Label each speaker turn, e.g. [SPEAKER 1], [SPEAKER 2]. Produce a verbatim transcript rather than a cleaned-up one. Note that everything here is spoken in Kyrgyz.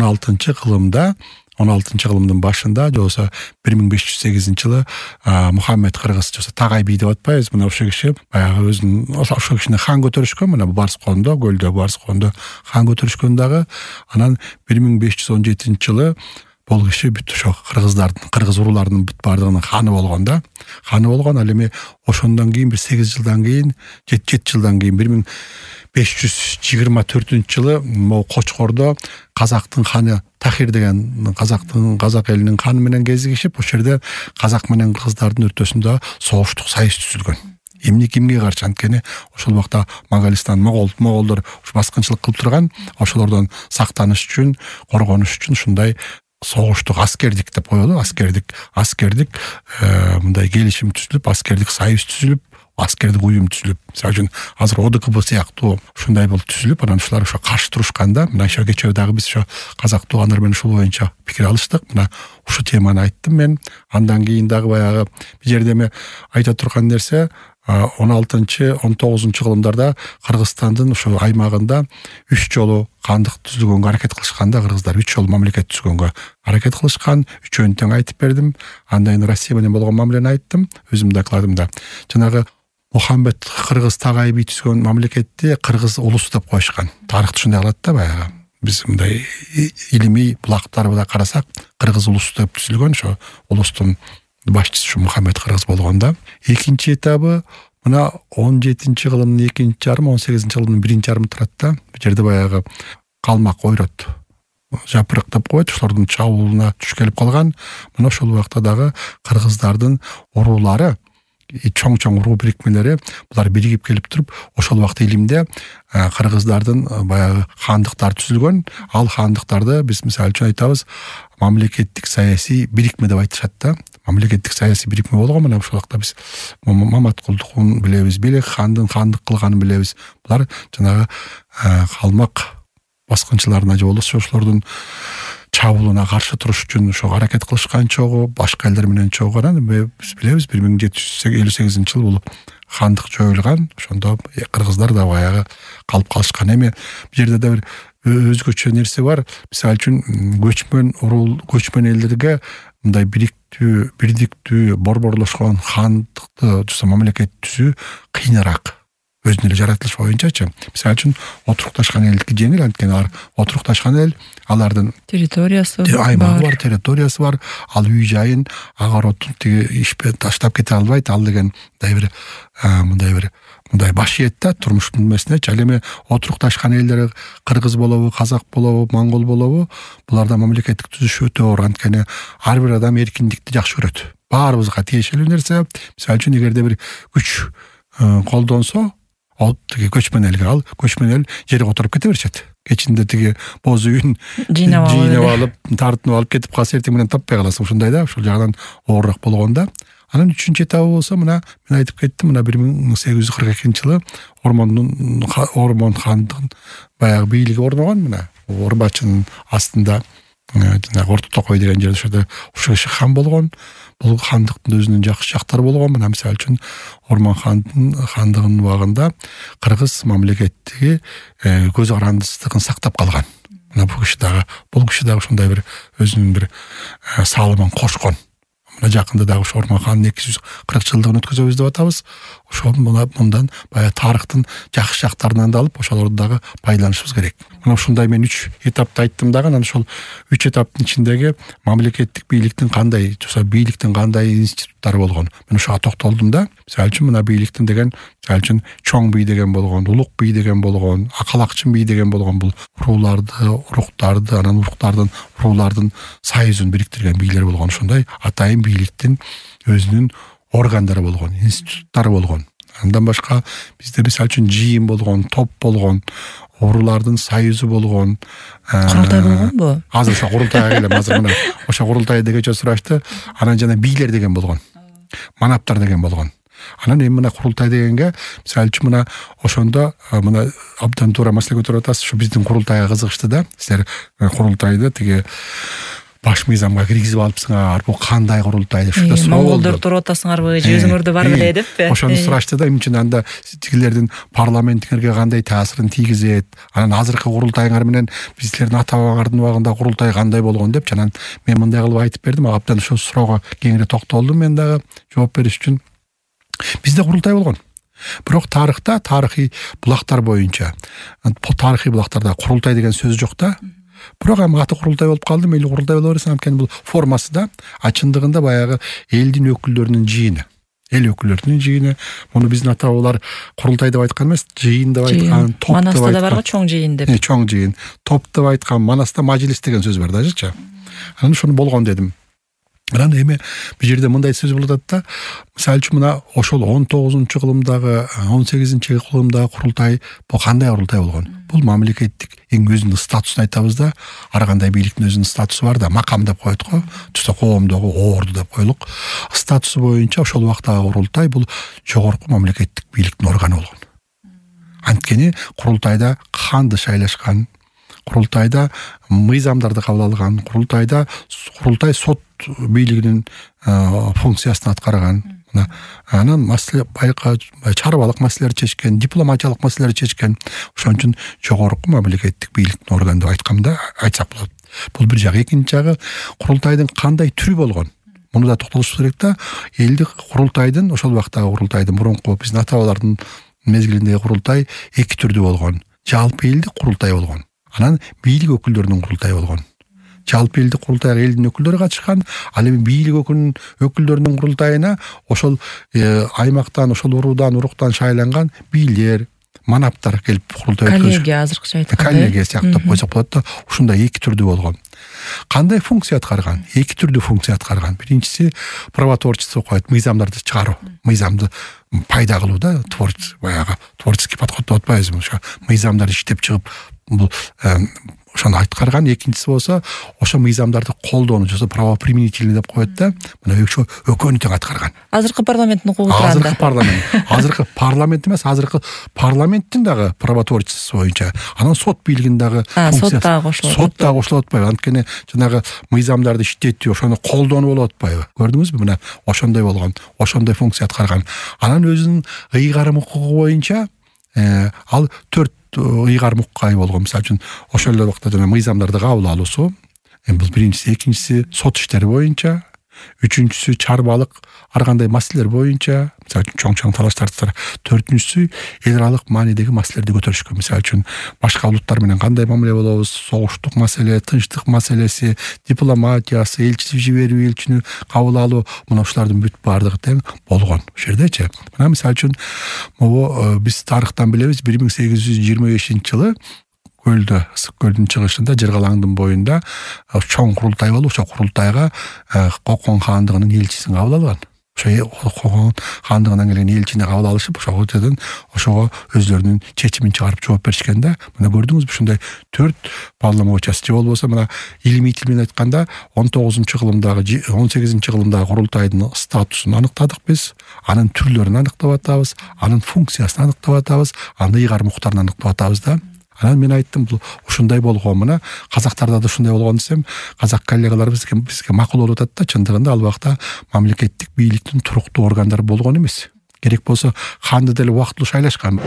[SPEAKER 1] алтынчы кылымда он алтынчы кылымдын башында же болбосо бир миң беш жүз сегизинчи жылы Мухаммед кыргыз же болбосо Тагай би деп атпайбыз, мына ошол киши баягы өзүнүн ошол кишини хан көтөрүшкөн, мына Барскондо, көлдө Барскондо хан көтөрүшкөн дагы. Анан бир миң беш жүз он жетинчи жылы бул киши бүт ошо кыргыздардын, кыргыз урууларынын бүт баардыгынын ханы болгон да. Ханы болгон. Ал эми ошондон кийин бир сегиз жылдан кийин, жети жылдан кийин бир миң беш жүз жыйырма төртүнчү жылы могу Кочкордо казактын ханы Тахир деген казактын казак элинин ханы менен кезигишип, ошол жерде казак менен кыргыздардын ортосунда согуштук союз түзүлгөн. Эмне кимге каршы? Анткени ошол убакта Монголистан, Могол, Моголдор баскынчылык кылып турган, ошолордон сактаныш үчүн, коргонуш үчүн ушундай согуштук аскердик деп коелу, аскердик, аскердик мындай келишим түзүлүп, аскердик союз түзүлүп, аскердик уюм түзүлүп, мисалы үчүн азыр О Д К Б сыяктуу ушундай бул түзүлүп, анан ушулар ошо каршы турушканда, мына ошо кечээ дагы биз ошо казак туугандар менен ушул боюнча пикир алыштык. Мына ушу теманы айттым мен. Андан кийин дагы баягы бул жерде эми айта турган нерсе, он алтынчы он тогузунчу кылымдарда Кыргызстандын ошо аймагында үч жолу кандык түзүлгөнгө аракет кылышканда, кыргыздар үч жолу мамлекет түзгөнгө аракет кылышкан. Үчөөнү тең айтып бердим. Андан кийин Россия менен болгон мамилени айттым өзүмдүн докладымда. Жанагы Мухаммед кыргыз Тагай би түзгөн мамлекетти кыргыз улусу деп коюшкан. Тарыхты ушундай кылат да баягы. Биз мындай илимий булактарыбызда карасак, кыргыз улусу деп түзүлгөн, ошо улустун башчысы ушу Мухаммед кыргыз болгон да. Экинчи этабы мына он жетинчи кылымдын экинчи жарымы, он сегизинчи кылымдын биринчи жарымы турат да. Бул жерде баягы калмак, ойрот, жапырык деп коет, ошолордун чабуулуна туш келип калган. Мына ошол убакта дагы кыргыздардын уруулары, чоң-чоң уруу бирикмелери булар биригип келип туруп, ошол убакта илимде кыргыздардын баягы хандыктар түзүлгөн. Ал хандыктарды биз мисалы үчүн айтабыз мамлекеттик саясий бирикме деп айтышат да. Мамлекеттик саясий бирикме болгон. Мына ошол убакта биз Маматкулдукун билебиз, Белек хандын хандык кылганын билебиз. Булар жанагы калмак баскынчыларына же болбосо ошолордун чабуулуна каршы туруш үчүн ошо аракет кылышкан чогуу, башка элдер менен чогуу. Анан биз билебиз бир миң жети жүз элүү сегизинчи жылы бул хандык жоюлган. Ошондо кыргыздар да баягы калып калышкан. Эми бул жерде да бир өзгөчө нерсе бар. Мисалы үчүн көчмөн урул, көчмөн элдерге мындай бириктүү, бирдиктүү, борборлошкон хандыкты жусо мамлекет түзүү кыйыныраак. Өзүнүн эле жаратылышы боюнчачы. Мисалы үчүн отурукташкан элдики жеңил, анткени алар отурукташкан эл, алардын территориясы аймагы бар, территориясы бар. Ал үй жайын агаротун тиги ишпен таштап кете албайт. Ал деген мындай бир мындай бир мындай башиет да турмуштун эмесинечи. Ал эми отурукташкан элдер кыргыз болобу, казак болобу, монгол болобу, буларда мамлекеттик түзүш өтө оор. Анткени ар бир адам эркиндикти жакшы көрөт. Баарыбызга тиешелүү нерсе. Мисалы үчүн эгерде бир күч колдонсо, ал тиги көчмөн элге, ал көчмөн эл жерге отуруп кете беришет. Кечинде тиги боз үйүн жыйнап алып, тартынып алып кетип калса, эртең менен таппай каласың. Ушундай да, ушул жагынан оорураак болгон да. Анан үчүнчү этабы болсо, мына мен айтып кеттим, мына бир миң сегиз жүз кырк экинчи жылы Ормондун Ормон хандын баягы бийлиги орногон. Мына Орбачынын астында жанагы Орто Токой деген жерде ошо ушул киши хан болгон. Бул хандыктын өзүнүн жакшы жактары болгон. Мына мисалы үчүн Ормон хандын хандыгынын убагында кыргыз мамлекеттиги көз карандысыздыгын сактап калган. Мына бул киши дагы, бул киши дагы ушундай бир өзүнүн бир салымын кошкон. Мына жакында дагы ошо Ормон хандын эки жүз кырк жылдыгын өткөзөбүз деп атабыз. Ошол мындан баягы тарыхтын жакшы жактарынан да алып, ошолорду дагы пайдаланышыбыз керек. Мына ушундай мен үч этапты айттым дагы. Анан ошол үч этаптын ичиндеги мамлекеттик бийликтин кандай, жусо бийликтин кандай институттары болгон, мен ошого токтолдум да. Мисалы үчүн мына бийликтин деген, мисалы үчүн чоң бий деген болгон, улук бий деген болгон, акалакчын бий деген болгон, бул урууларды, уруктарды, анан уруктардын, уруулардын союзун бириктирген бийлер болгон. Ошондой атайын бийликтин өзүнүн органдары болгон, институттары болгон. Андан башка бизде мисалы үчүн жыйын болгон, топ болгон, уруулардын союзу болгон.
[SPEAKER 2] Курултай болгонбу?
[SPEAKER 1] Азыр ошо курултайга келем. Азыр мына ошо курултайды кечээ сурашты. Анан жана бийлер деген болгон. Манаптар деген болгон. Анан эми мына курултай дегенге мисалы үчүн мына ошондо мына абдан туура маселе көтөрүп атасыз. Ушу биздин курултайга кызыгышты да. Силер курултайды тиги баш мыйзамга киргизип алыпсыңар, бул кандай курултай деп ушундай суроо болду.
[SPEAKER 2] Монголдор туруп атасыңарбы, же өзүңөрдө бар беле деппи?
[SPEAKER 1] Ошону сурашты да, эмне үчүн анда тигилердин парламентиңерге кандай таасирин тийгизет, анан азыркы курултайыңар менен биздердин ата бабаңардын убагында курултай кандай болгон деп, анан мен мындай кылып айтып бердим. Абдан ошол суроого кеңири токтолдум мен дагы жооп бериш үчүн. Бизде курултай болгон. Бирок тарыхта, тарыхый булактар боюнча, тарыхый булактарда курултай деген сөз жок да. Бирок эми аты курултай болуп калды, мейли курултай боло берсин, анткени бул формасы да, а чындыгында баягы элдин өкүлдөрүнүн жыйыны. Эл өкүлдөрүнүн жыйыны. Муну биздин ата бабалар курултай деп айткан эмес, жыйын деп айткан, топ деп айткан.
[SPEAKER 2] Манаста да барго чоң жыйын деп.
[SPEAKER 1] Чоң жыйын, топ деп айткан, манаста мажлис деген сөз бар дажычы. Анан ошону болгон дедим. Анан эми бул жерде мындай сөз болуп атат да. Мисалы үчүн мына ошол он тогузунчу кылымдагы, он сегизинчи кылымдагы курултай бул кандай курултай болгон? Бул мамлекеттик эң өзүнүн статусун айтабыз да. Ар кандай бийликтин өзүнүн статусу бар да, макам деп коет го. Түстө коомдогу орду деп коелук. Статусу боюнча ошол убактагы курултай бул жогорку мамлекеттик бийликтин органы болгон. Анткени курултайда канды шайлашкан, курултайда мыйзамдарды кабыл алган, курултайда курултай сот бийлигинин функциясын аткарган. Анан маселе байка чарбалык маселелерди чечкен, дипломатиялык маселелерди чечкен. Ошон үчүн жогорку мамлекеттик бийликтин органы деп айтканда айтсак болот. Бул бир жагы. Экинчи жагы, курултайдын кандай түрү болгон? Муну да токтолуш керек да. Элдик курултайдын, ошол убактагы курултайдын, мурунку биздин ата бабалардын мезгилиндеги курултай эки түрдүү болгон. Жалпы элдик курултай болгон. Анан бийлик өкүлдөрүнүн курултайы болгон. Жалпы элдик курултайга элдин өкүлдөрү катышкан, ал эми бийлик өкүлүнүн өкүлдөрүнүн курултайына ошол аймактан, ошол уруудан, уруктан шайланган бийлер, манаптар келип курултай өткөрүш.
[SPEAKER 2] Коллегия азыркыча айтканда.
[SPEAKER 1] Коллегия сыяктуу койсок болот да. Ушундай эки түрдүү болгон. Кандай функция аткарган? Эки түрдүү функция аткарган. Биринчиси правотворчество коет, мыйзамдарды чыгаруу, мыйзамды пайда кылуу да, творчество, баягы творческий подход деп атпайбызбы? Ошо мыйзамдарды иштеп чыгып бул ошону аткарган. Экинчиси болсо ошо мыйзамдарды колдоону, жосо правоприменительный деп коет да. Мына ошо экөөнү тең аткарган.
[SPEAKER 2] Азыркы парламенттин укугу турганда.
[SPEAKER 1] Азыркы парламент. Азыркы парламент эмес, азыркы парламенттин дагы правотворчествосу боюнча. Анан сот бийлигинин дагы
[SPEAKER 2] функциясы. Сот дагы кошулат.
[SPEAKER 1] Сот дагы кошулуп атпайбы? Анткени жанагы мыйзамдарды иштетүү, ошону колдоону болуп атпайбы? Көрдүңүзбү? Мына ошондой болгон, ошондой функция аткарган. Анан өзүнүн ыйгарым укугу боюнча ал төрт ыйгарым укугай болгон. Мисалы үчүн ошол эле убакта жана мыйзамдарды кабыл алуусу. Эми бул биринчиси, экинчиси сот иштери боюнча, үчүнчүсү чарбалык ар кандай маселелер боюнча, мисалы үчүн чоң-чоң талаштарды, төртүнчүсү эл аралык маанидеги маселелерди көтөрүшкөн. Мисалы үчүн башка улуттар менен кандай мамиле болобуз, согуштук маселе, тынчтык маселеси, дипломатиясы, элчи жиберүү, элчини кабыл алуу, мына ушулардын бүт баардыгы тең болгон ошол жердечи. Мына мисалы үчүн могу биз тарыхтан билебиз, бир миң сегиз жүз жыйырма бешинчи жылы көлдө, ысык көлдүн чыгышында, Жыргалаңдын боюнда чоң курултай болуп, ошол курултайга Кокон хаандыгынын элчисин кабыл алган. Ошо Кокон хаандыгынан келген элчини кабыл алышып, ошого жерден ошого өзлөрүнүн чечимин чыгарып жооп беришкен да. Мына көрдүңүзбү, ушундай төрт полномочиясы. Же болбосо мына илимий тил менен айтканда он тогузунчу кылымдагы, он сегизинчи кылымдагы курултайдын статусун аныктадык биз, анын түрлөрүн аныктап атабыз, анын функциясын аныктап атабыз, анын ыйгарым укуктарын аныктап атабыз да. Анан мен айттым, бул ушундай болгон, мына казактарда да ушундай болгон десем, казак коллегалар бизге бизге макул болуп атат да. Чындыгында ал убакта мамлекеттик бийликтин туруктуу органдары болгон эмес. Керек болсо ханды деле убактылуу шайлашкан.